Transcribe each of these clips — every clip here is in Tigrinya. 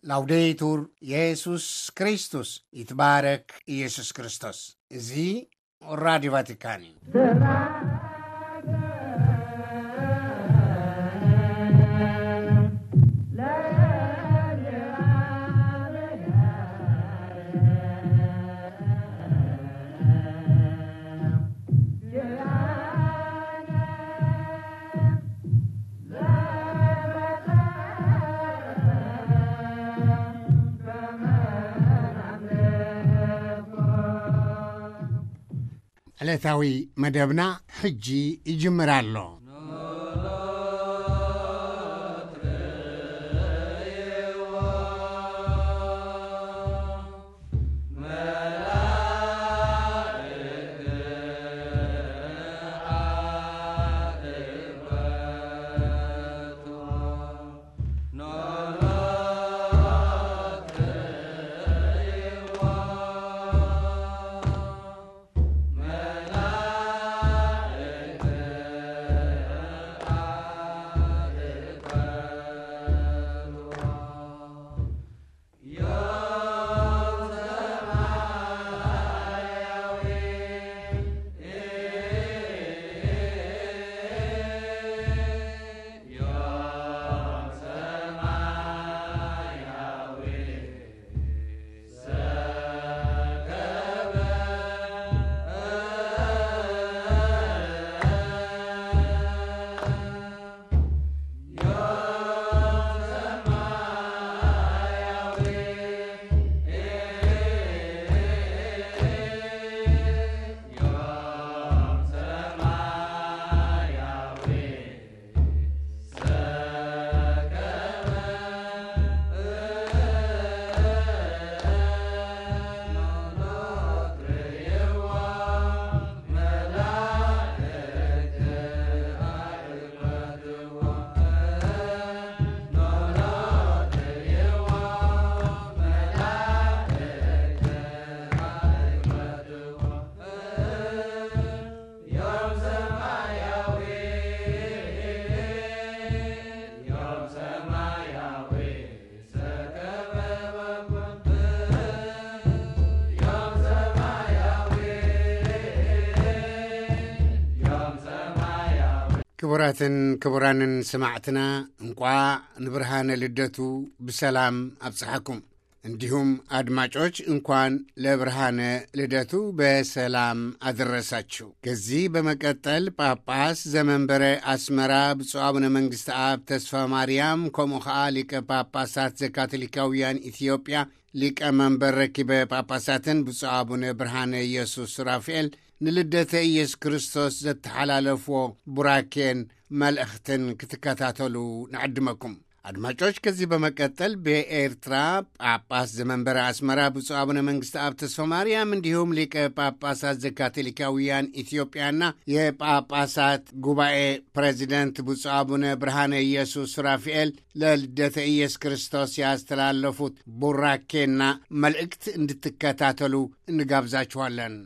ላውዴቱር የሱስ ክርስቶስ፣ ይትባረክ ኢየሱስ ክርስቶስ። እዚ ራዲዮ ቫቲካን እዩ። ዕለታዊ መደብና ሕጂ ይጅምር ኣሎ። ክቡራትን ክቡራንን ሰማዕትና፣ እንቋዕ ንብርሃነ ልደቱ ብሰላም ኣብጽሓኩም። እንዲሁም አድማጮች እንኳን ለብርሃነ ልደቱ በሰላም አደረሳችሁ። ከዚህ በመቀጠል ጳጳስ ዘመንበረ አስመራ ብፁዕ አቡነ መንግስት አብ ተስፋ ማርያም፣ ከምኡ ኸዓ ሊቀ ጳጳሳት ዘካቶሊካውያን ኢትዮጵያ ሊቀ መንበር ረኪበ ጳጳሳትን ብፁዕ አቡነ ብርሃነ ኢየሱስ ሱራፊኤል ንልደተ ኢየሱስ ክርስቶስ ዘተሓላለፍዎ ቡራኬን መልእኽትን ክትከታተሉ ንዕድመኩም። አድማጮች፣ ከዚህ በመቀጠል በኤርትራ ጳጳስ ዘመንበረ አስመራ ብፁዕ አቡነ መንግስት አብ ተስፋ ማርያም፣ እንዲሁም ሊቀ ጳጳሳት ዘካቶሊካውያን ኢትዮጵያና የጳጳሳት ጉባኤ ፕሬዚደንት ብፁዕ አቡነ ብርሃነ ኢየሱስ ሱራፊኤል ለልደተ ኢየሱስ ክርስቶስ ያስተላለፉት ቡራኬና መልእክት እንድትከታተሉ እንጋብዛችኋለን።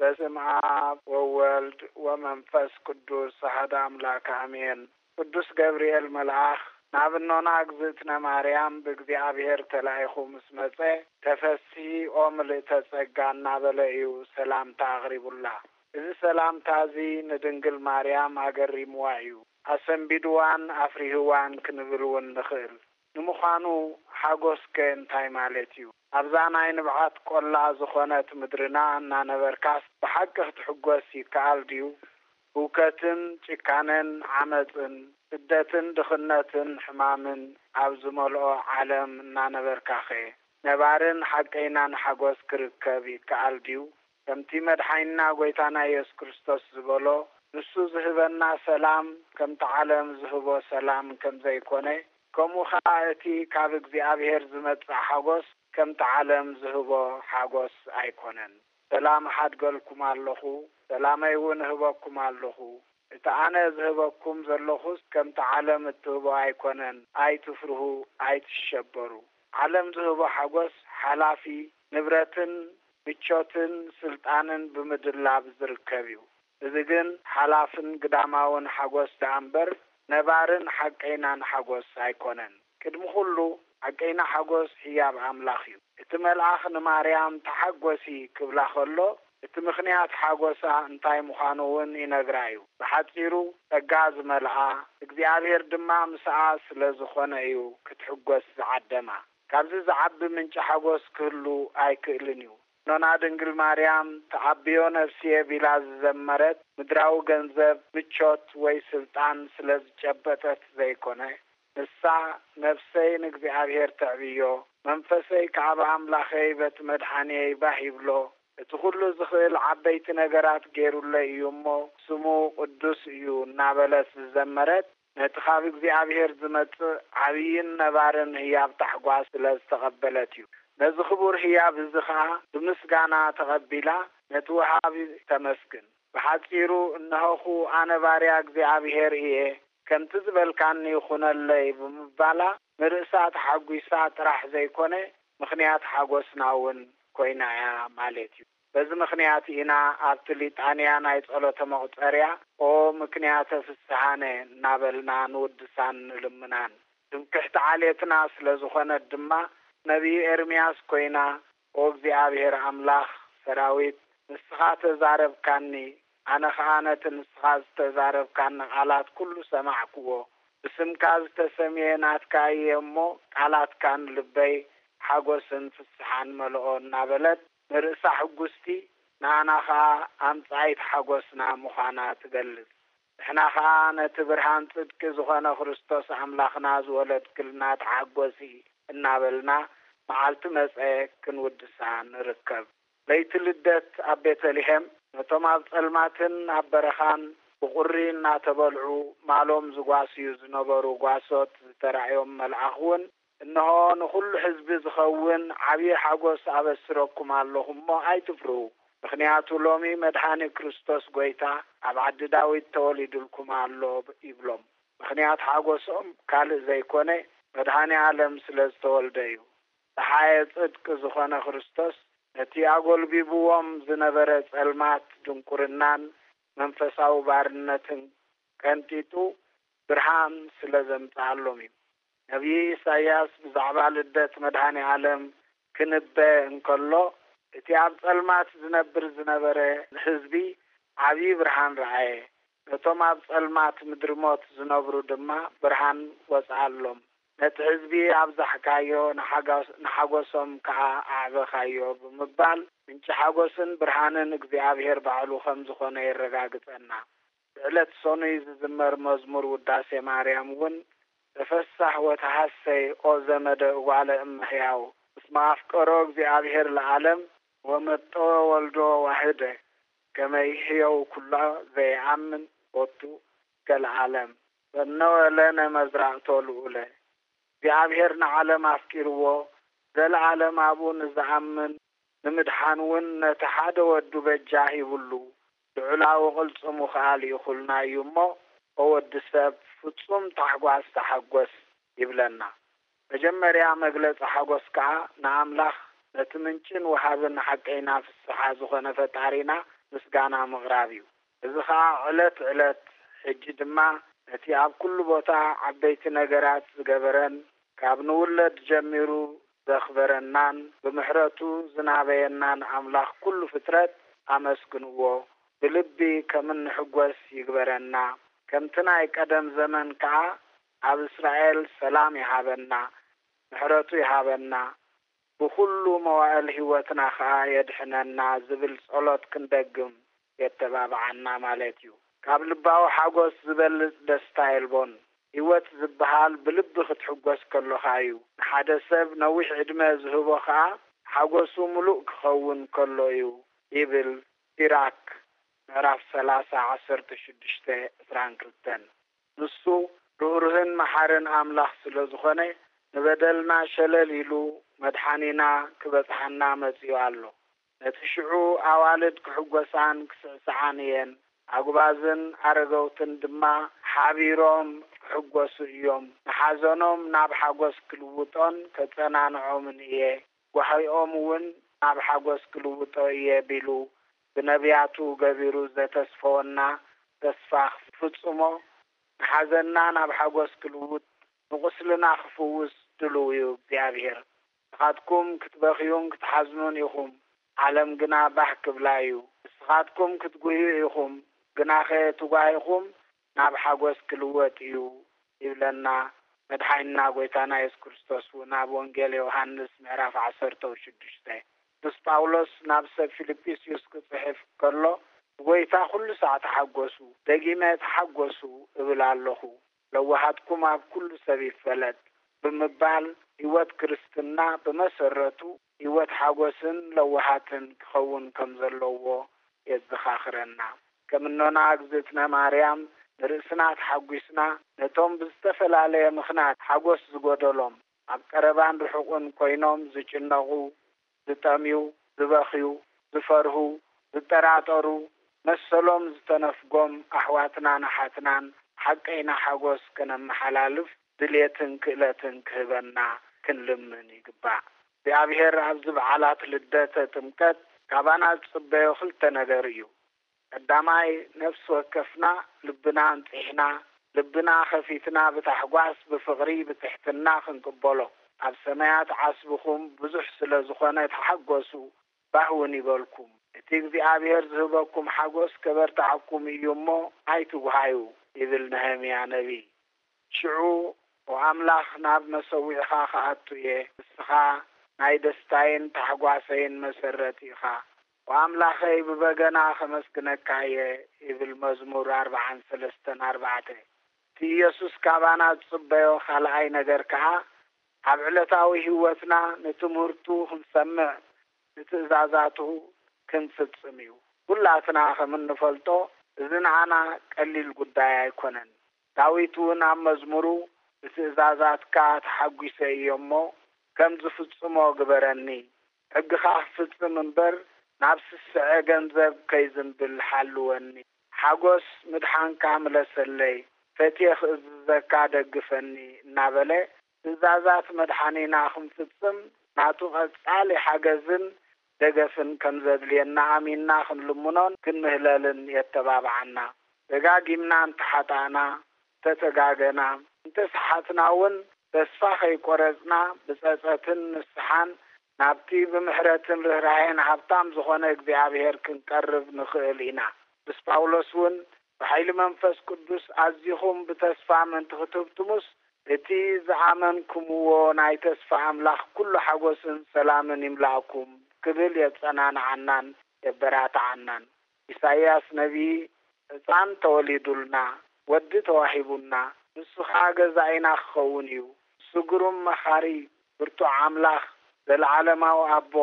በስም አብ ወወልድ ወመንፈስ ቅዱስ አሐደ አምላክ አሜን። ቅዱስ ገብርኤል መልአኽ ናብ እኖና እግዝእትነ ማርያም ብእግዚኣብሔር ተላኢኹ ምስ መጸ፣ ተፈስሒ ኦ ምልእተ ጸጋ እናበለ እዩ ሰላምታ ኣቕሪቡላ። እዚ ሰላምታ እዚ ንድንግል ማርያም ኣገሪምዋ እዩ። ኣሰንቢድዋን ኣፍሪህዋን ክንብል እውን ንኽእል። ንምዃኑ ሓጎስከ እንታይ ማለት እዩ? ኣብዛ ናይ ንብዓት ቆላ ዝኾነት ምድርና እናነበርካስ ብሓቂ ክትሕጎስ ይከኣል ድዩ? ህውከትን ጭካነን ዓመጽን ስደትን ድኽነትን ሕማምን ኣብ ዝመልኦ ዓለም እናነበርካኸ ነባርን ሓቀይናን ሓጎስ ክርከብ ይከኣል ድዩ? ከምቲ መድሓኒና ጐይታና ኢየሱስ ክርስቶስ ዝበሎ፣ ንሱ ዝህበና ሰላም ከምቲ ዓለም ዝህቦ ሰላም ከም ዘይኮነ፣ ከምኡ ኸኣ እቲ ካብ እግዚኣብሔር ዝመጽእ ሓጎስ ከምቲ ዓለም ዝህቦ ሓጎስ ኣይኮነን። ሰላም እሓድገልኩም ኣለኹ፣ ሰላመይ እውን እህበኩም ኣለኹ። እቲ ኣነ ዝህበኩም ዘለኹስ ከምቲ ዓለም እትህቦ ኣይኮነን፣ ኣይትፍርሁ፣ ኣይትሸበሩ። ዓለም ዝህቦ ሓጎስ ሓላፊ፣ ንብረትን ምቾትን ስልጣንን ብምድላብ ዝርከብ እዩ። እዚ ግን ሓላፍን ግዳማውን ሓጎስ ደኣ እምበር ነባርን ሓቀይናን ሓጎስ ኣይኮነን። ቅድሚ ኩሉ ሓቀይና ሓጎስ ህያብ ኣምላኽ እዩ። እቲ መልኣኽ ንማርያም ተሓጎሲ ክብላ ከሎ እቲ ምኽንያት ሓጎሳ እንታይ ምዃኑ እውን ይነግራ እዩ። ብሓጺሩ ጸጋ ዝመልኣ እግዚኣብሔር ድማ ምስኣ ስለ ዝኾነ እዩ ክትሕጎስ ዝዓደማ። ካብዚ ዝዓቢ ምንጪ ሓጎስ ክህሉ ኣይክእልን እዩ። ኖና ድንግል ማርያም ተዓብዮ ነፍስየ ቢላ ዝዘመረት ምድራዊ ገንዘብ፣ ምቾት ወይ ስልጣን ስለ ዝጨበጠት ዘይኮነ፣ ንሳ ነፍሰይ ንእግዚኣብሔር ተዕብዮ፣ መንፈሰይ ከኣ ብኣምላኸይ በቲ መድሓንየይ ባህ ይብሎ፣ እቲ ኩሉ ዝኽእል ዓበይቲ ነገራት ገይሩለይ እዩ እሞ ስሙ ቅዱስ እዩ እናበለት ዝዘመረት፣ ነቲ ካብ እግዚኣብሔር ዝመጽእ ዓብይን ነባርን ህያብ ታሕጓስ ስለ ዝተቐበለት እዩ። ነዚ ክቡር ህያብ እዚ ኸኣ ብምስጋና ተቐቢላ ነቲ ወሃቢ ተመስግን። ብሓጺሩ እነሆኹ ኣነ ባርያ እግዚኣብሔር እየ፣ ከምቲ ዝበልካኒ ይኹነለይ ብምባላ ንርእሳ ተሓጒሳ ጥራሕ ዘይኮነ ምኽንያት ሓጎስና እውን ኮይና እያ ማለት እዩ። በዚ ምኽንያት ኢና ኣብቲ ሊጣንያ ናይ ጸሎተ መቑጸርያ ኦ ምክንያተ ፍስሓነ እናበልና ንውድሳን ንልምናን። ትምክሕቲ ዓሌትና ስለ ዝኾነት ድማ ነቢይ ኤርምያስ ኮይና ኦ እግዚኣብሔር ኣምላኽ ሰራዊት ንስኻ ተዛረብካኒ፣ ኣነ ኸኣ ነቲ ንስኻ ዝተዛረብካኒ ቃላት ኩሉ ሰማዕክዎ። ብስምካ ዝተሰምየ ናትካ እየ እሞ ቃላትካን ልበይ ሓጎስን ፍስሓን መልኦ እናበለት ንርእሳ ሕጉስቲ ንኣና ኸኣ ኣምጻኢት ሓጎስና ምዃና ትገልጽ። ንሕና ኸኣ ነቲ ብርሃን ጽድቂ ዝኾነ ክርስቶስ ኣምላኽና ዝወለድክልና ተሓጎሲ እናበልና መዓልቲ መጸ ክንውድሳ ንርከብ። ለይቲ ልደት ኣብ ቤተልሔም ነቶም ኣብ ጸልማትን ኣብ በረኻን ብቑሪ እናተበልዑ ማሎም ዝጓስዩ ዝነበሩ ጓሶት ዝተራእዮም መልኣኽ እውን እንሆ ንኹሉ ሕዝቢ ዝኸውን ዓብዪ ሓጎስ ኣበስረኩም ኣለኹ እሞ ኣይትፍርሁ። ምኽንያቱ ሎሚ መድሓኒ ክርስቶስ ጐይታ ኣብ ዓዲ ዳዊት ተወሊዱልኩም ኣሎ ይብሎም። ምኽንያት ሓጎሶም ካልእ ዘይኮነ መድሓኒ ዓለም ስለ ዝተወልደ እዩ። ደሓየ ጽድቂ ዝኾነ ክርስቶስ ነቲ ኣጎልቢብዎም ዝነበረ ጸልማት ድንቁርናን መንፈሳዊ ባርነትን ቀንጢጡ ብርሃን ስለ ዘምጽኣሎም እዩ። ነቢይ ኢሳይያስ ብዛዕባ ልደት መድሃኔ ዓለም ክንበ እንከሎ እቲ ኣብ ጸልማት ዝነብር ዝነበረ ህዝቢ ዓብዪ ብርሃን ረኣየ። ነቶም ኣብ ጸልማት ምድሪ ሞት ዝነብሩ ድማ ብርሃን ወጽኣሎም። ነቲ ህዝቢ ኣብዛሕካዮ ንሓጎሶም ከኣ ኣዕበኻዮ ብምባል ምንጪ ሓጎስን ብርሃንን እግዚኣብሔር ባዕሉ ከም ዝኾነ የረጋግጸና። ብዕለት ሰኑይ ዝዝመር መዝሙር ውዳሴ ማርያም እውን ተፈሳህ ወተሃሰይ ኦ ዘመደ እጓለ እመሕያው እስመ ኣፍቀሮ እግዚኣብሔር ለዓለም ወመጦ ወልዶ ዋህደ ከመ ይሕየው ኩሎ ዘይኣምን ቦቱ እስከ ለዓለም ፈነወ ለነ መዝራእቶ ልዑለ። እግዚኣብሔር ንዓለም ኣፍቂርዎ ዘለዓለም ኣብኡ ንዝኣምን ንምድሓን እውን ነቲ ሓደ ወዱ በጃ ሂብሉ ልዑላዊ ቅልጽሙ ከኣ ልኢኹልና እዩ እሞ ኦ ወዲ ሰብ ፍጹም ታሕጓስ ተሓጎስ ይብለና። መጀመርያ መግለጺ ሓጎስ ከኣ ንኣምላኽ ነቲ ምንጭን ወሃብን ሓቀይና ፍስሓ ዝኾነ ፈጣሪና ምስጋና ምቕራብ እዩ። እዚ ኸኣ ዕለት ዕለት ሕጂ ድማ ነቲ ኣብ ኩሉ ቦታ ዓበይቲ ነገራት ዝገበረን ካብ ንውለድ ጀሚሩ ዘኽበረናን ብምሕረቱ ዝናበየናን ኣምላኽ ኩሉ ፍጥረት ኣመስግንዎ። ብልቢ ከም እንሕጎስ ይግበረና። ከምቲ ናይ ቀደም ዘመን ከኣ ኣብ እስራኤል ሰላም ይሃበና፣ ምሕረቱ ይሃበና። ብኹሉ መዋእል ህይወትና ኸኣ የድሕነና ዝብል ጸሎት ክንደግም የተባብዓና ማለት እዩ። ካብ ልባዊ ሓጎስ ዝበልጽ ደስታ የልቦን። ህይወት ዝበሃል ብልቢ ክትሕጎስ ከሎኻ እዩ። ንሓደ ሰብ ነዊሕ ዕድመ ዝህቦ ኸኣ ሓጎሱ ምሉእ ክኸውን ከሎ እዩ ይብል ሲራክ። ምዕራፍ ሠላሳ ዓሰርተ ሽዱሽተ ዕስራን ክልተን። ንሱ ርህሩህን መሓርን ኣምላኽ ስለ ዝኾነ፣ ንበደልና ሸለል ኢሉ መድሓኒና ክበጽሓና መጺኡ ኣሎ። ነቲ ሽዑ ኣዋልድ ክሕጎሳን ክስዕስዓን እየን፣ ኣጉባዝን ኣረገውትን ድማ ሓቢሮም ክሕጎሱ እዮም። ንሓዘኖም ናብ ሓጎስ ክልውጦን ከጸናንዖምን እየ፣ ጓሂኦም እውን ናብ ሓጎስ ክልውጦ እየ ቢሉ ብነቢያቱ ገቢሩ ዘተስፈወና ተስፋ ክፍጽሞ፣ ንሓዘንና ናብ ሓጎስ ክልውጥ፣ ንቁስልና ክፍውስ ድሉው እዩ እግዚኣብሔር። ንስኻትኩም ክትበኽዩን ክትሓዝኑን ኢኹም፣ ዓለም ግና ባህ ክብላ እዩ። ንስኻትኩም ክትጉህዩ ኢኹም፣ ግናኸ እቲ ጓሂኹም ናብ ሓጎስ ክልወጥ እዩ ይብለና። መድሓኒና ጎይታና የሱስ ክርስቶስ እውን ኣብ ወንጌል ዮሃንስ ምዕራፍ ዓሰርተ ሽዱሽተ። ቅዱስ ጳውሎስ ናብ ሰብ ፊልጵስዩስ ክጽሕፍ ከሎ፣ "ብጎይታ ኩሉ ሳዕ ተሓጎሱ፣ ደጊመ ተሓጎሱ እብል ኣለኹ፣ ለዋሃትኩም ኣብ ኩሉ ሰብ ይፈለጥ" ብምባል፣ ህይወት ክርስትና ብመሰረቱ ህይወት ሓጎስን ለዋሃትን ክኸውን ከም ዘለዎ የዘኻኽረና። ከም እኖና እግዝእትነ ማርያም ንርእስና ተሓጒስና፣ ነቶም ብዝተፈላለየ ምኽንያት ሓጎስ ዝጎደሎም፣ ኣብ ቀረባን ርሑቕን ኮይኖም ዝጭነቑ፣ ዝጠምዩ፣ ዝበኽዩ፣ ዝፈርሁ፣ ዝጠራጠሩ፣ መሰሎም ዝተነፍጎም ኣሕዋትናን ኣሓትናን ሓቀይና ሓጎስ ከነመሓላልፍ ድልየትን ክእለትን ክህበና ክንልምን ይግባእ። እግዚኣብሔር ኣብዚ በዓላት ልደተ ጥምቀት ካባና ዝጽበዮ ክልተ ነገር እዩ። ቀዳማይ፣ ነፍሲ ወከፍና ልብና ኣንጺሕና፣ ልብና ከፊትና ብታሕጓስ፣ ብፍቕሪ፣ ብትሕትና ክንቅበሎ። ኣብ ሰማያት ዓስብኹም ብዙሕ ስለ ዝኾነ ተሓጎሱ፣ ባህ እውን ይበልኩም። እቲ እግዚኣብሔር ዝህበኩም ሓጎስ ከበርትዓኩም እዩ እሞ ኣይትጉሃዩ፣ ይብል ነህምያ ነቢይ። ሽዑ፣ "ኦ ኣምላኽ፣ ናብ መሰዊዕኻ ክኣቱ እየ፣ ንስኻ ናይ ደስታይን ታሕጓሰይን መሰረት ኢኻ። ኦ ኣምላኸይ፣ ብበገና ከመስግነካ እየ" ይብል መዝሙር ኣርብዓን ሰለስተን ኣርባዕተ። እቲ ኢየሱስ ካባና ዝጽበዮ ካልኣይ ነገር ከኣ፣ ኣብ ዕለታዊ ህይወትና ንትምህርቱ ክንሰምዕ፣ ንትእዛዛቱ ክንፍጽም እዩ። ኩላትና ከም እንፈልጦ፣ እዚ ንዓና ቀሊል ጉዳይ ኣይኮነን። ዳዊት እውን ኣብ መዝሙሩ፣ "ብትእዛዛትካ ተሓጒሰ እየ እሞ፣ ከም ዝፍጽሞ ግበረኒ። ሕግኻ ክፍጽም እምበር፣ ናብ ስስዐ ገንዘብ ከይዝንብል ሓልወኒ። ሓጎስ ምድሓንካ ምለሰለይ፣ ፈትየ ክእዝዘካ ደግፈኒ" እናበለ፣ ትእዛዛት መድሓኒና ክንፍጽም፣ ናቱ ቀጻሊ ሓገዝን ደገፍን ከም ዘድልየና ኣሚንና ክንልምኖን ክንምህለልን የተባብዓና። ደጋጊምና እንተሓጣእና፣ እንተተጋገና፣ እንተሰሓትና እውን፣ ተስፋ ከይቆረጽና፣ ብጸጸትን ንስሓን ናብቲ ብምሕረትን ርህራሄን ሃብታም ዝኾነ እግዚኣብሔር ክንቀርብ ንኽእል ኢና። ቅዱስ ጳውሎስ እውን፣ "ብሓይሊ መንፈስ ቅዱስ ኣዚኹም ብተስፋ ምእንቲ ክትህብትሙስ፣ እቲ ዝኣመንኩምዎ ናይ ተስፋ ኣምላኽ ኩሉ ሓጎስን ሰላምን ይምላእኩም" ክብል የጸናንዓናን የበራትዓናን። ኢሳይያስ ነቢይ፣ "ሕጻን ተወሊዱልና፣ ወዲ ተዋሂቡና፣ ንሱ ኸኣ ገዛኢና ክኸውን እዩ፣ ንሱ ግሩም መኻሪ፣ ብርቱዕ ኣምላኽ፣ ዘለዓለማዊ ኣቦ፣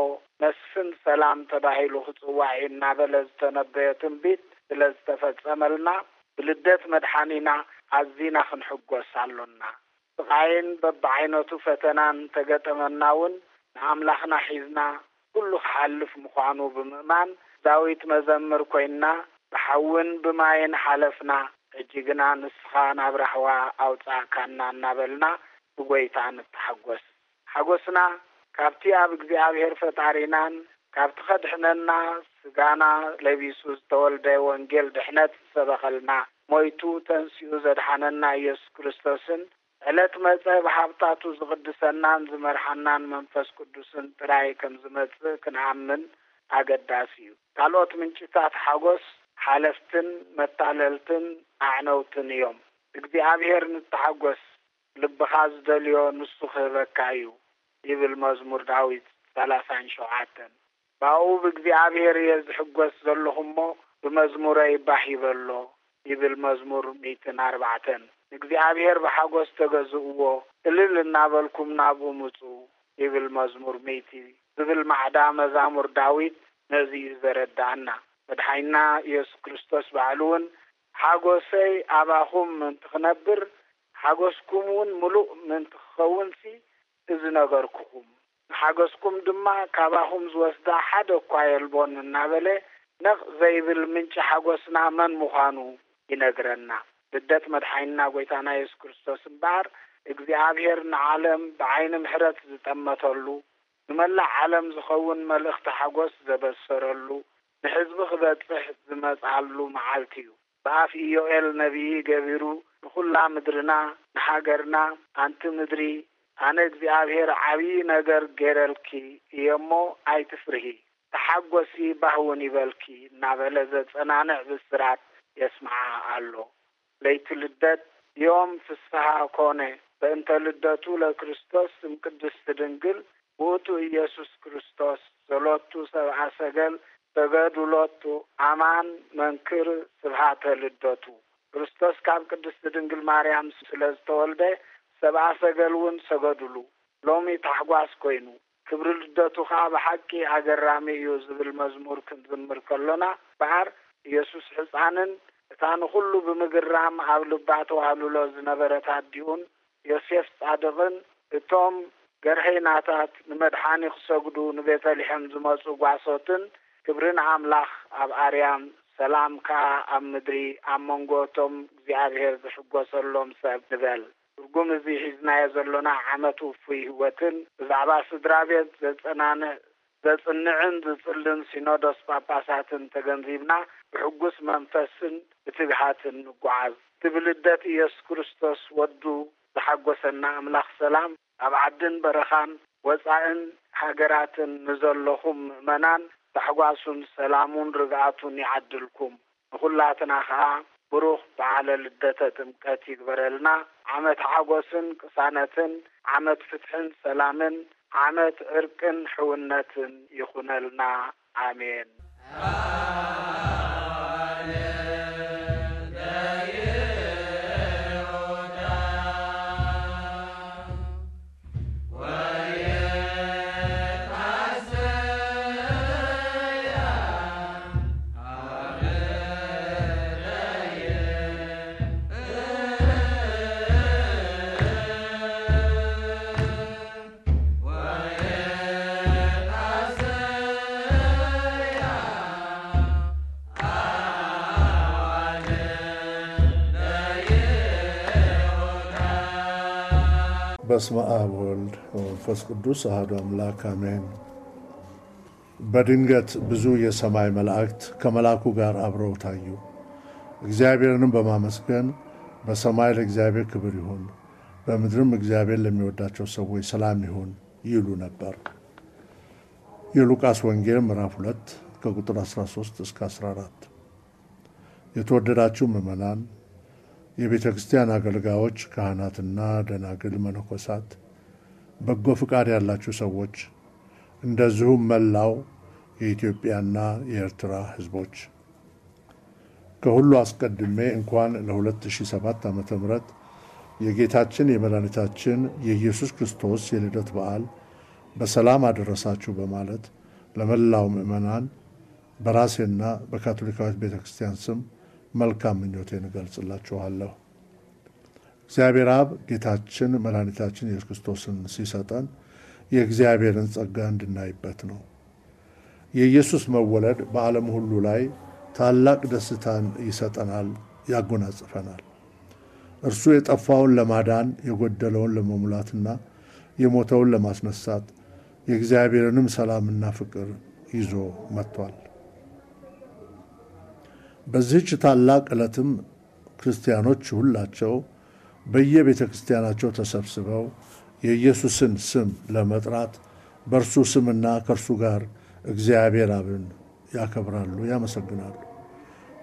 መስፍን ሰላም ተባሂሉ ክጽዋዕ እዩ" እናበለ ዝተነበዮ ትንቢት ስለ ዝተፈጸመልና፣ ብልደት መድሓኒና ኣዚና ክንሕጎስ ኣሎና። ስቓይን በብዓይነቱ ፈተናን እንተገጠመና እውን፣ ንኣምላኽና ሒዝና፣ ኩሉ ክሓልፍ ምዃኑ ብምእማን፣ ዳዊት መዘምር ኮይንና፣ "ብሓውን ብማይን ሓለፍና፣ ሕጂ ግና ንስኻ ናብ ራህዋ ኣውጻእካና" እናበልና ብጎይታ ንተሓጎስ። ሓጎስና ካብቲ ኣብ እግዚኣብሔር ፈጣሪናን ካብቲ ከድሕነና ስጋና ለቢሱ ዝተወልደ ወንጌል ድሕነት ዝሰበኸልና፣ ሞይቱ ተንሲኡ ዘድሓነና ኢየሱስ ክርስቶስን፣ ዕለት መጸ ብሃብታቱ ዝቕድሰናን ዝመርሓናን መንፈስ ቅዱስን ጥራይ ከም ዝመጽእ ክንኣምን ኣገዳሲ እዩ። ካልኦት ምንጭታት ሓጎስ ሓለፍትን መታለልትን ኣዕነውትን እዮም። እግዚኣብሔር ንተሓጎስ፣ ልብኻ ዝደልዮ ንሱ ክህበካ እዩ፣ ይብል መዝሙር ዳዊት ሰላሳን ሸውዓተን። "ብኣኡ ብእግዚኣብሔር እየ ዝሕጎስ ዘለኹ እሞ፣ ብመዝሙረይ ባህ ይበሎ" ይብል መዝሙር ሚእትን ኣርባዕተን። "ንእግዚኣብሔር ብሓጎስ ተገዝእዎ፣ እልል እናበልኩም ናብኡ ምጹ" ይብል መዝሙር ሚእቲ ዝብል ማዕዳ መዛሙር ዳዊት ነዚ እዩ ዘረድኣና። መድሓኒና ኢየሱስ ክርስቶስ ባዕሉ እውን፣ ሓጎሰይ ኣባኹም ምእንቲ ክነብር፣ ሓጎስኩም እውን ምሉእ ምእንቲ ክኸውንሲ እዚ ነገርኩኹም። ንሓጎስኩም ድማ ካባኹም ዝወስዳ ሓደ እኳ የልቦን እናበለ፣ ነቕ ዘይብል ምንጪ ሓጎስና መን ምዃኑ ይነግረና። ልደት መድሓኒና ጐይታና የሱስ ክርስቶስ እምበኣር፣ እግዚኣብሔር ንዓለም ብዓይኒ ምሕረት ዝጠመተሉ፣ ንመላእ ዓለም ዝኸውን መልእኽቲ ሓጎስ ዘበሰረሉ፣ ንሕዝቢ ክበጽሕ ዝመጽኣሉ መዓልቲ እዩ። ብኣፍ ኢዮኤል ነቢይ ገቢሩ፣ ንኹላ ምድርና፣ ንሃገርና፣ ኣንቲ ምድሪ፣ ኣነ እግዚኣብሔር ዓብዪ ነገር ገይረልኪ እየ እሞ ኣይትፍርሂ፣ ተሓጎሲ፣ ባህ እውን ይበልኪ እናበለ ዘጸናንዕ ብስራት የስምዓ ኣሎ። ለይቲ ልደት ዮም ፍስሃ ኮነ፣ በእንተ ልደቱ ለክርስቶስ እምቅድስት ድንግል ውእቱ ኢየሱስ ክርስቶስ፣ ዘሎቱ ሰብአ ሰገል ሰገዱ ሎቱ፣ አማን መንክር ስብሃተ ልደቱ። ክርስቶስ ካብ ቅድስት ድንግል ማርያም ስለ ዝተወልደ፣ ሰብአ ሰገል እውን ሰገዱሉ። ሎሚ ታሕጓስ ኮይኑ፣ ክብሪ ልደቱ ኸኣ ብሓቂ ኣገራሚ እዩ ዝብል መዝሙር ክንዝምር ከሎና፣ እምበኣር ኢየሱስ ሕፃንን እታ ንኹሉ ብምግራም ኣብ ልባ ተዋህልሎ ዝነበረት ኣዲኡን ዮሴፍ ጻድቕን፣ እቶም ገርሀይናታት ንመድሓኒ ክሰግዱ ንቤተልሔም ዝመጹ ጓሶትን፣ ክብሪ ንኣምላኽ ኣብ ኣርያም፣ ሰላም ከኣ ኣብ ምድሪ፣ ኣብ መንጎ እቶም እግዚኣብሔር ዝሕጎሰሎም ሰብ ንበል። ትርጉም እዚ ሒዝናዮ ዘሎና ዓመት ውፉይ ህይወትን፣ ብዛዕባ ስድራ ቤት ዘጸናንዕ፣ ዘጽንዕን ዝጽልን ሲኖዶስ ጳጳሳትን ተገንዚብና፣ ብሕጉስ መንፈስን ብትግሃትን ንጓዓዝ። እቲ ብልደት ኢየሱስ ክርስቶስ ወዱ ዝሓጎሰና ኣምላኽ ሰላም፣ ኣብ ዓድን በረኻን ወጻእን ሃገራትን ንዘለኹም ምእመናን ታሕጓሱን ሰላሙን ርግኣቱን ይዓድልኩም። ንኹላትና ኸኣ ብሩኽ በዓለ ልደተ ጥምቀት ይግበረልና። ዓመት ሓጎስን ቅሳነትን፣ ዓመት ፍትሕን ሰላምን፣ ዓመት ዕርቅን ሕውነትን ይኹነልና። ኣሜን። በስመ አብ ወልድ ወመንፈስ ቅዱስ አሐዱ አምላክ አሜን። በድንገት ብዙ የሰማይ መላእክት ከመልአኩ ጋር አብረው ታዩ። እግዚአብሔርንም በማመስገን «በሰማይ ለእግዚአብሔር ክብር ይሁን፣ በምድርም እግዚአብሔር ለሚወዳቸው ሰዎች ሰላም ይሁን» ይሉ ነበር። የሉቃስ ወንጌል ምዕራፍ ሁለት ከቁጥር አስራ ሦስት እስከ አስራ አራት። የተወደዳችሁ ምዕመናን፣ የቤተ ክርስቲያን አገልጋዮች፣ ካህናትና ደናግል መነኮሳት፣ በጎ ፍቃድ ያላችሁ ሰዎች፣ እንደዚሁም መላው የኢትዮጵያና የኤርትራ ሕዝቦች፣ ከሁሉ አስቀድሜ እንኳን ለ ሁለት ሺህ ሰባት ዓመተ ምህረት የጌታችን የመድኃኒታችን የኢየሱስ ክርስቶስ የልደት በዓል በሰላም አደረሳችሁ በማለት ለመላው ምዕመናን በራሴና በካቶሊካዊት ቤተ ክርስቲያን ስም መልካም ምኞቴን እገልጽላችኋለሁ። እግዚአብሔር አብ ጌታችን መድኃኒታችን ኢየሱስ ክርስቶስን ሲሰጠን የእግዚአብሔርን ጸጋ እንድናይበት ነው። የኢየሱስ መወለድ በዓለም ሁሉ ላይ ታላቅ ደስታን ይሰጠናል፣ ያጎናጽፈናል። እርሱ የጠፋውን ለማዳን፣ የጎደለውን ለመሙላትና የሞተውን ለማስነሳት የእግዚአብሔርንም ሰላምና ፍቅር ይዞ መጥቷል። በዚህች ታላቅ ዕለትም ክርስቲያኖች ሁላቸው በየቤተ ክርስቲያናቸው ተሰብስበው የኢየሱስን ስም ለመጥራት በእርሱ ስምና ከእርሱ ጋር እግዚአብሔር አብን ያከብራሉ፣ ያመሰግናሉ።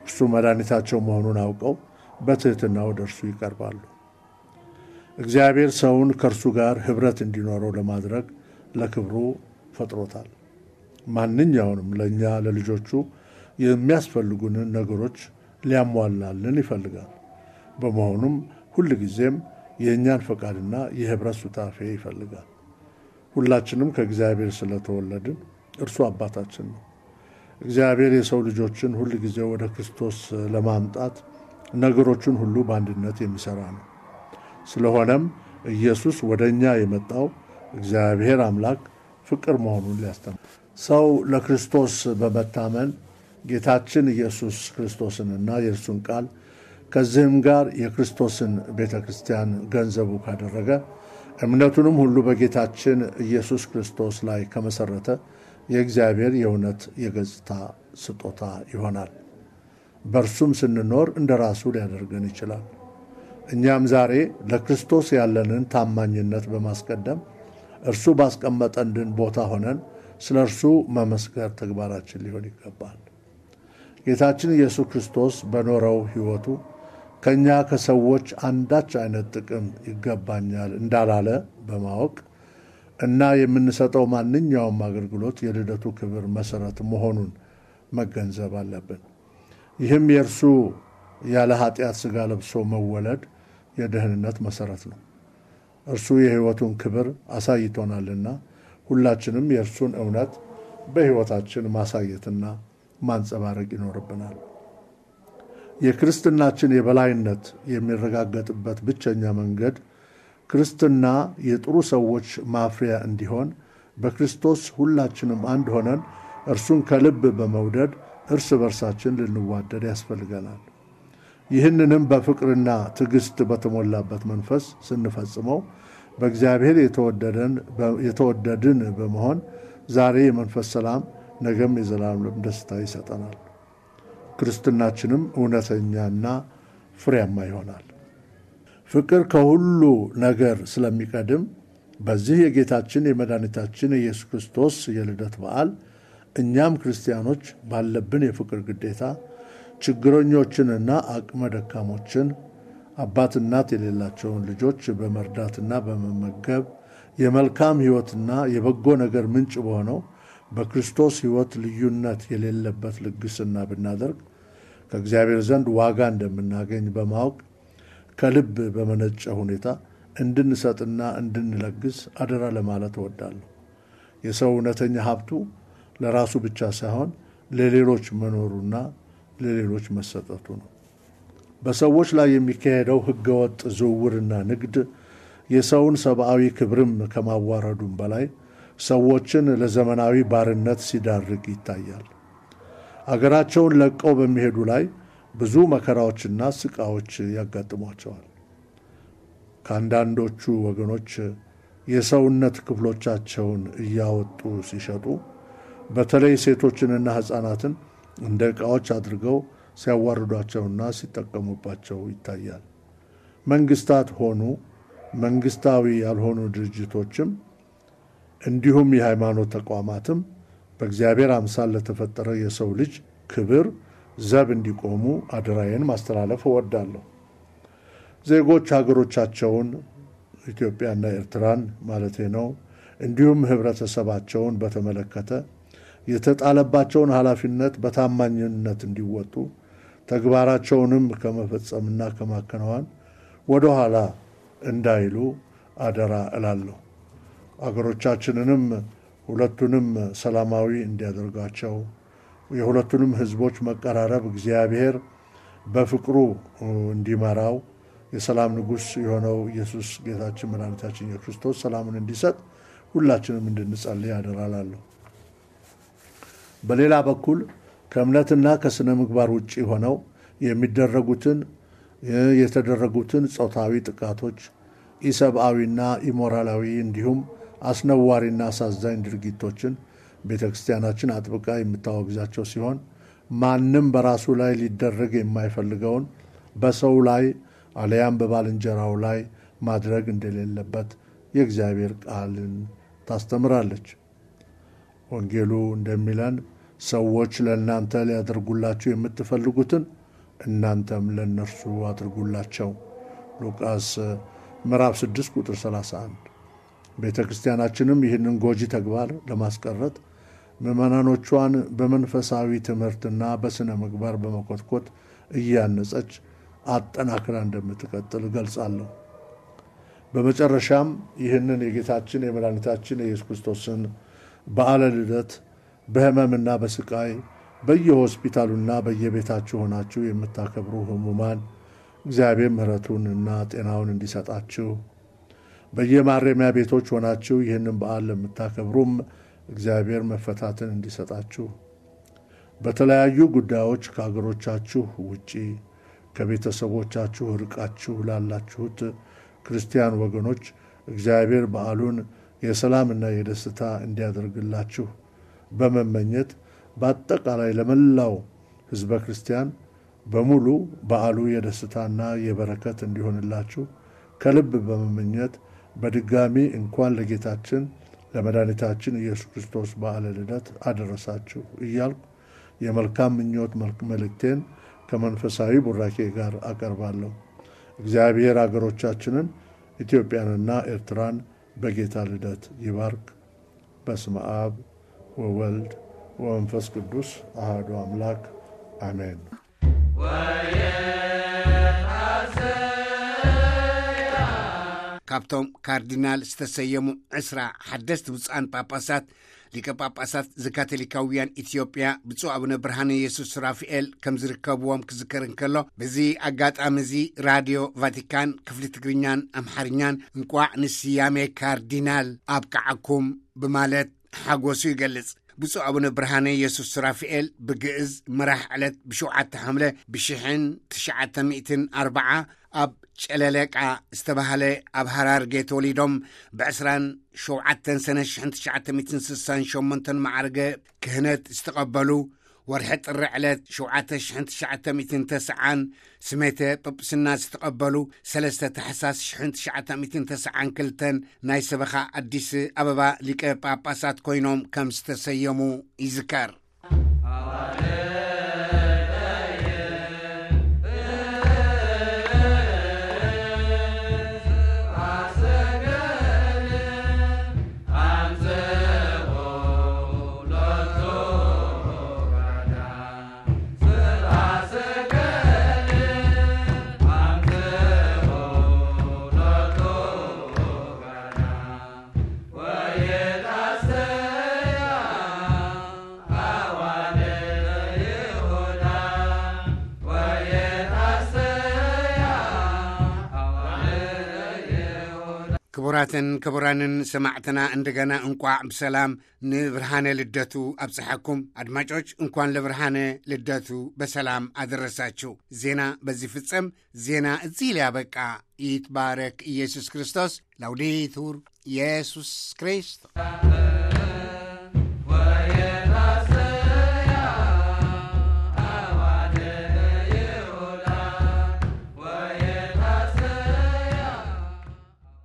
እርሱ መድኃኒታቸው መሆኑን አውቀው በትሕትና ወደ እርሱ ይቀርባሉ። እግዚአብሔር ሰውን ከእርሱ ጋር ኅብረት እንዲኖረው ለማድረግ ለክብሩ ፈጥሮታል። ማንኛውንም ለእኛ ለልጆቹ የሚያስፈልጉንን ነገሮች ሊያሟላልን ይፈልጋል። በመሆኑም ሁልጊዜም የእኛን ፈቃድና የኅብረት ሱታፌ ይፈልጋል። ሁላችንም ከእግዚአብሔር ስለተወለድን እርሱ አባታችን ነው። እግዚአብሔር የሰው ልጆችን ሁል ጊዜ ወደ ክርስቶስ ለማምጣት ነገሮችን ሁሉ በአንድነት የሚሰራ ነው። ስለሆነም ኢየሱስ ወደ እኛ የመጣው እግዚአብሔር አምላክ ፍቅር መሆኑን ሊያስተምር፣ ሰው ለክርስቶስ በመታመን ጌታችን ኢየሱስ ክርስቶስንና የእርሱን ቃል ከዚህም ጋር የክርስቶስን ቤተ ክርስቲያን ገንዘቡ ካደረገ፣ እምነቱንም ሁሉ በጌታችን ኢየሱስ ክርስቶስ ላይ ከመሰረተ፣ የእግዚአብሔር የእውነት የገጽታ ስጦታ ይሆናል። በእርሱም ስንኖር እንደ ራሱ ሊያደርገን ይችላል። እኛም ዛሬ ለክርስቶስ ያለንን ታማኝነት በማስቀደም፣ እርሱ ባስቀመጠልን ቦታ ሆነን ስለ እርሱ መመስከር ተግባራችን ሊሆን ይገባል። ጌታችን ኢየሱስ ክርስቶስ በኖረው ሕይወቱ ከእኛ ከሰዎች አንዳች አይነት ጥቅም ይገባኛል እንዳላለ በማወቅ እና የምንሰጠው ማንኛውም አገልግሎት የልደቱ ክብር መሰረት መሆኑን መገንዘብ አለብን። ይህም የእርሱ ያለ ኃጢአት ሥጋ ለብሶ መወለድ የደህንነት መሰረት ነው። እርሱ የሕይወቱን ክብር አሳይቶናልና ሁላችንም የእርሱን እውነት በሕይወታችን ማሳየትና ማንጸባረቅ ይኖርብናል። የክርስትናችን የበላይነት የሚረጋገጥበት ብቸኛ መንገድ ክርስትና የጥሩ ሰዎች ማፍሪያ እንዲሆን በክርስቶስ ሁላችንም አንድ ሆነን እርሱን ከልብ በመውደድ እርስ በርሳችን ልንዋደድ ያስፈልገናል። ይህንንም በፍቅርና ትዕግስት በተሞላበት መንፈስ ስንፈጽመው በእግዚአብሔር የተወደደን፣ የተወደድን በመሆን ዛሬ የመንፈስ ሰላም፣ ነገም የዘላለም ደስታ ይሰጠናል። ክርስትናችንም እውነተኛና ፍሬያማ ይሆናል። ፍቅር ከሁሉ ነገር ስለሚቀድም በዚህ የጌታችን የመድኃኒታችን የኢየሱስ ክርስቶስ የልደት በዓል እኛም ክርስቲያኖች ባለብን የፍቅር ግዴታ ችግረኞችንና አቅመ ደካሞችን፣ አባት እናት የሌላቸውን ልጆች በመርዳትና በመመገብ የመልካም ሕይወትና የበጎ ነገር ምንጭ በሆነው በክርስቶስ ሕይወት ልዩነት የሌለበት ልግስና ብናደርግ ከእግዚአብሔር ዘንድ ዋጋ እንደምናገኝ በማወቅ ከልብ በመነጨ ሁኔታ እንድንሰጥና እንድንለግስ አደራ ለማለት እወዳለሁ። የሰው እውነተኛ ሀብቱ ለራሱ ብቻ ሳይሆን ለሌሎች መኖሩና ለሌሎች መሰጠቱ ነው። በሰዎች ላይ የሚካሄደው ህገወጥ ዝውውርና ንግድ የሰውን ሰብአዊ ክብርም ከማዋረዱም በላይ ሰዎችን ለዘመናዊ ባርነት ሲዳርግ ይታያል። አገራቸውን ለቀው በሚሄዱ ላይ ብዙ መከራዎችና ስቃዎች ያጋጥሟቸዋል። ከአንዳንዶቹ ወገኖች የሰውነት ክፍሎቻቸውን እያወጡ ሲሸጡ፣ በተለይ ሴቶችንና ሕፃናትን እንደ ዕቃዎች አድርገው ሲያዋርዷቸውና ሲጠቀሙባቸው ይታያል። መንግስታት ሆኑ መንግስታዊ ያልሆኑ ድርጅቶችም እንዲሁም የሃይማኖት ተቋማትም በእግዚአብሔር አምሳል ለተፈጠረ የሰው ልጅ ክብር ዘብ እንዲቆሙ አደራዬን ማስተላለፍ እወዳለሁ። ዜጎች ሀገሮቻቸውን፣ ኢትዮጵያና ኤርትራን ማለቴ ነው፣ እንዲሁም ህብረተሰባቸውን በተመለከተ የተጣለባቸውን ኃላፊነት በታማኝነት እንዲወጡ፣ ተግባራቸውንም ከመፈጸምና ከማከናወን ወደ ኋላ እንዳይሉ አደራ እላለሁ። አገሮቻችንንም ሁለቱንም ሰላማዊ እንዲያደርጋቸው፣ የሁለቱንም ህዝቦች መቀራረብ እግዚአብሔር በፍቅሩ እንዲመራው፣ የሰላም ንጉሥ የሆነው ኢየሱስ ጌታችን መድኃኒታችን ኢየሱስ ክርስቶስ ሰላሙን እንዲሰጥ ሁላችንም እንድንጸልይ አደራ እላለሁ። በሌላ በኩል ከእምነትና ከስነ ምግባር ውጪ ሆነው የሚደረጉትን፣ የተደረጉትን ጾታዊ ጥቃቶች፣ ኢሰብአዊና ኢሞራላዊ እንዲሁም አስነዋሪና አሳዛኝ ድርጊቶችን ቤተ ክርስቲያናችን አጥብቃ የምታወግዛቸው ሲሆን፣ ማንም በራሱ ላይ ሊደረግ የማይፈልገውን በሰው ላይ አለያም በባልንጀራው ላይ ማድረግ እንደሌለበት የእግዚአብሔር ቃልን ታስተምራለች። ወንጌሉ እንደሚለን ሰዎች ለእናንተ ሊያደርጉላችሁ የምትፈልጉትን እናንተም ለእነርሱ አድርጉላቸው። ሉቃስ ምዕራፍ ስድስት ቁጥር ሠላሳ አንድ። ቤተ ክርስቲያናችንም ይህንን ጎጂ ተግባር ለማስቀረት ምዕመናኖቿን በመንፈሳዊ ትምህርትና በስነ ምግባር በመኮትኮት እያነጸች አጠናክራ እንደምትቀጥል እገልጻለሁ። በመጨረሻም ይህንን የጌታችን የመድኃኒታችን የኢየሱስ ክርስቶስን በዓለ ልደት በህመምና በስቃይ በየሆስፒታሉና በየቤታችሁ ሆናችሁ የምታከብሩ ህሙማን እግዚአብሔር ምሕረቱንና ጤናውን እንዲሰጣችሁ፣ በየማረሚያ ቤቶች ሆናችሁ ይህንን በዓል ለምታከብሩም እግዚአብሔር መፈታትን እንዲሰጣችሁ፣ በተለያዩ ጉዳዮች ከሀገሮቻችሁ ውጪ ከቤተሰቦቻችሁ ርቃችሁ ላላችሁት ክርስቲያን ወገኖች እግዚአብሔር በዓሉን የሰላምና የደስታ እንዲያደርግላችሁ በመመኘት፣ በአጠቃላይ ለመላው ህዝበ ክርስቲያን በሙሉ በዓሉ የደስታና የበረከት እንዲሆንላችሁ ከልብ በመመኘት፣ በድጋሚ እንኳን ለጌታችን ለመድኃኒታችን ኢየሱስ ክርስቶስ በዓለ ልደት አደረሳችሁ እያልኩ የመልካም ምኞት መልክ-፣ መልእክቴን ከመንፈሳዊ ቡራኬ ጋር አቀርባለሁ። እግዚአብሔር አገሮቻችንን ኢትዮጵያንና ኤርትራን በጌታ ልደት ይባርክ። በስመ አብ ወወልድ ወመንፈስ ቅዱስ አሐዱ አምላክ አሜን። ካብቶም ካርዲናል ዝተሰየሙ ዕስራ ሓደስቲ ብፁዓን ጳጳሳት፣ ሊቀ ጳጳሳት ዘካቶሊካውያን ኢትዮጵያ ብፁዕ ኣቡነ ብርሃነ የሱስ ራፍኤል ከም ዝርከብዎም ክዝከር እንከሎ፣ በዚ ኣጋጣሚ እዚ ራድዮ ቫቲካን ክፍሊ ትግርኛን ኣምሓርኛን እንቋዕ ንስያሜ ካርዲናል ኣብቅዓኩም ብማለት ሓጎሱ ይገልጽ። ብፁዕ ኣቡነ ብርሃነ የሱስ ሱራፊኤል ብግእዝ መራሕ ዕለት ብሸውዓተ ሓምለ ብሽሕን ትሽዓተ ሚእትን ኣርብዓ ኣብ ጨለለቃ ዝተባህለ ኣብ ሃራርጌ ተወሊዶም፣ ብዕስራን ሸውዓተን ሰነ ሽሕን ትሽዓተ ሚእትን ስሳን ሸሞንተን ማዕርገ ክህነት ዝተቐበሉ፣ ወርሒ ጥሪ ዕለት ሸውዓተ ሽሕን ትሽዓተ ሚእትን ተስዓን ስሜተ ጵጵስና ዝተቐበሉ፣ ሰለስተ ታሕሳስ ሽሕን ትሽዓተ ሚእትን ተስዓን ክልተን ናይ ሰበኻ ኣዲስ ኣበባ ሊቀ ጳጳሳት ኮይኖም ከም ዝተሰየሙ ይዝከር። ክቡራትን ክቡራንን ሰማዕትና፣ እንደገና እንቋዕ ብሰላም ንብርሃነ ልደቱ ኣብጽሓኩም። ኣድማጮች፣ እንኳን ለብርሃነ ልደቱ በሰላም አደረሳችሁ። ዜና በዚህ ፍጸም። ዜና እዚህ ሊያበቃ። ይትባረክ ኢየሱስ ክርስቶስ። ላውዴቱር ኢየሱስ ክርስቶስ።